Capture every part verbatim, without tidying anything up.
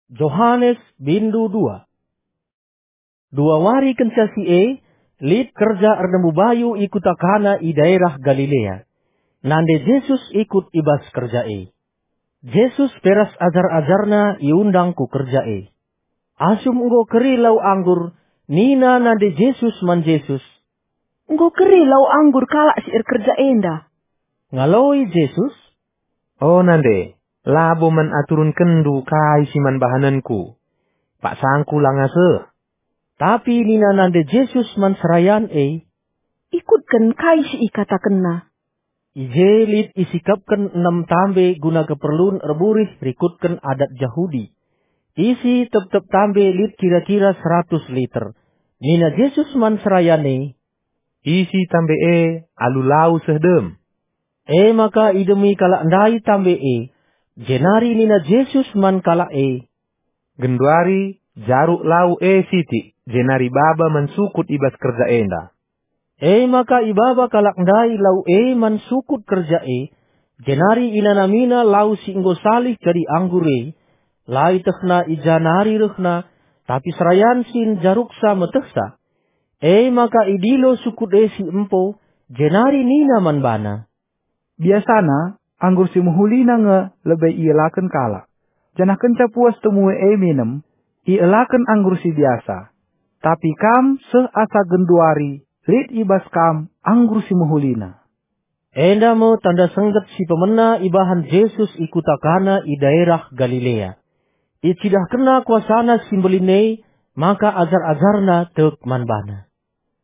Johanes bindu dua. Dua wari kenca si e, lit kerja ernembu bayu i kuta Kana i daerah Galilea. Nande Jesus ikut i bas kerja e. Jesus pe ras ajar-ajarNa iundang ku kerja e. Asum enggo keri lau anggur, nina nande Jesus man Jesus, "Enggo keri lau anggur kalak si erkerja enda." Ngaloi Jesus, "O nande, labo man aturunkenndu kai si man bahanenku. Paksangku langa seh." Tapi nina nande Jesus man serayan e, "Ikutken kai si ikatakenna." I je lit isikapken enem tambe guna keperlun erburih rikutken adat Jahudi. Isi tep-tep tambe lit kira-kira seratus liter. Nina Jesus man serayan e, "Isi tambe e alu lau seh dem." E maka idemi kalak ndai tambe e, jenari nina Jesus man kalak e, "Genduari jaruk lau e sitik, jenari baba man sukut i bas kerja enda." E maka ibaba kalak ndai lau e man sukut kerja e, jenari inanamina lau si enggo salih jadi anggur e. La ietehna i ja nari rehna, tapi serayan sin jaruksa metehsa. E maka idilo sukut e si empo, jenari nina man bana, "Biasana, anggur si mehulina nge lebe ielaken kalak, janah kenca puas temue e minem, ielaken anggur si biasa. Tapi kam seh asa genduari lit i bas kam anggur si mehulina." Enda me tanda sengget si pemena ibahan Jesus i kuta Kana i daerah Galilea. IcidahkenNa kuasaNa si mbelin e, maka ajar-ajarNa tek man baNa.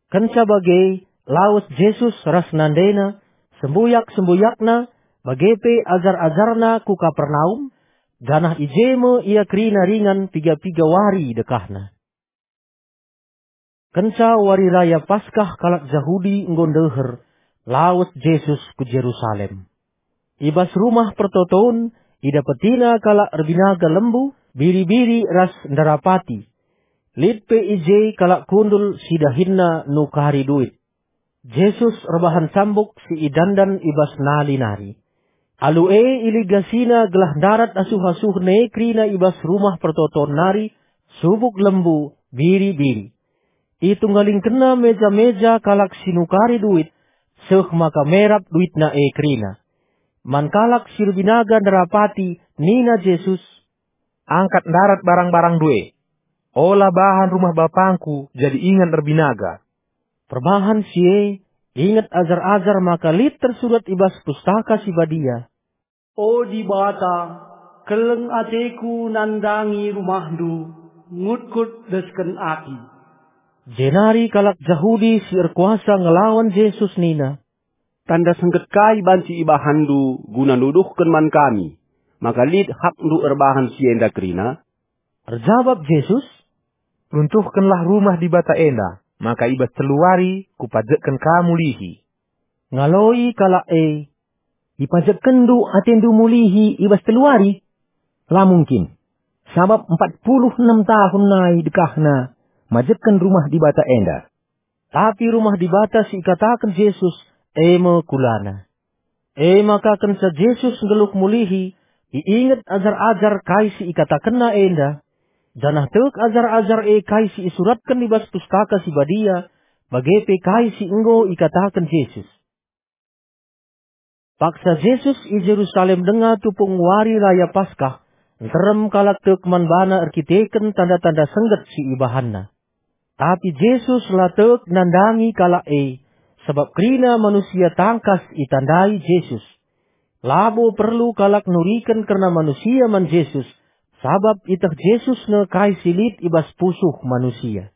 Kenca bage, lawes Jesus ras nandeNa, sembuyak-sembuyakNa, bage pe ajar-ajarNa ku Kapernaum, janah i je me Ia kerina ringan piga-piga wari dekahna. Kenca wari raya Paskah kalak Jahudi enggo ndeher, lawes Jesus ku Jerusalem. I bas Rumah Pertoton, idapetiNa kalak erbinaga lembu, biri-biri ras ndarapati. Lit pe i je kalak kundul si dahinna nukari duit. Jesus erbahan cambuk si idandan i bas nali nari. Alu e iligasiNa gelah ndarat asuh-asuhen e kerina i bas Rumah Pertoton nari, subuk lembu, biri-biri. ItunggalingkenNa meja-meja kalak si nukari duit, seh maka merap duitna e kerina. Man kalak si erbinaga ndarapati nina Jesus, "Angkat ndarat barang-barangndu e. Ola bahan rumah BapangKu jadi ingan erbinaga." Perbahan si e, inget ajar-ajar maka lit tersurat i bas Pustaka Si Badia, "O Dibata, keleng ateKu nandangi rumahNdu, ngutkut desken api." Jenari kalak Jahudi si erkuasa ngelawan Jesus nina, "Tanda sengget kai banci ibahanNdu guna nuduhken man kami maka lit hakNdu erbahan si enda kerina?" Erjabap Jesus, "Runtuhkenlah Rumah Dibata enda, maka i bas telu wari Kupajekken ka mulihi." Ngaloi kalak e, "IpajekkenNdu ateNdu mulihi i bas telu wari? La mungkin, sabap empat puluh enem tahun nai dekahna majekken Rumah Dibata enda." Tapi Rumah Dibata si ikataken Jesus, e me kulana. E maka kenca Jesus nggeluh mulihi, iinget ajar-ajar kai si ikatakenNa enda, janah tek ajar-ajar e kai si isuratken i bas Pustaka Si Badia, bage pe kai si enggo ikataken Jesus. Paksa Jesus i Jerusalem denga tupung wari raya Paskah, nterem kalak tek man baNa erkiteken tanda-tanda sengget si ibahanNa. Tapi Jesus la tek nandangi kalak e, sabap kerina manusia tangkas itandai Jesus. Labo perlu kalak nuriken kerna manusia man Jesus, sabap iteh Jesus nge kai si lit i bas pusuh manusia.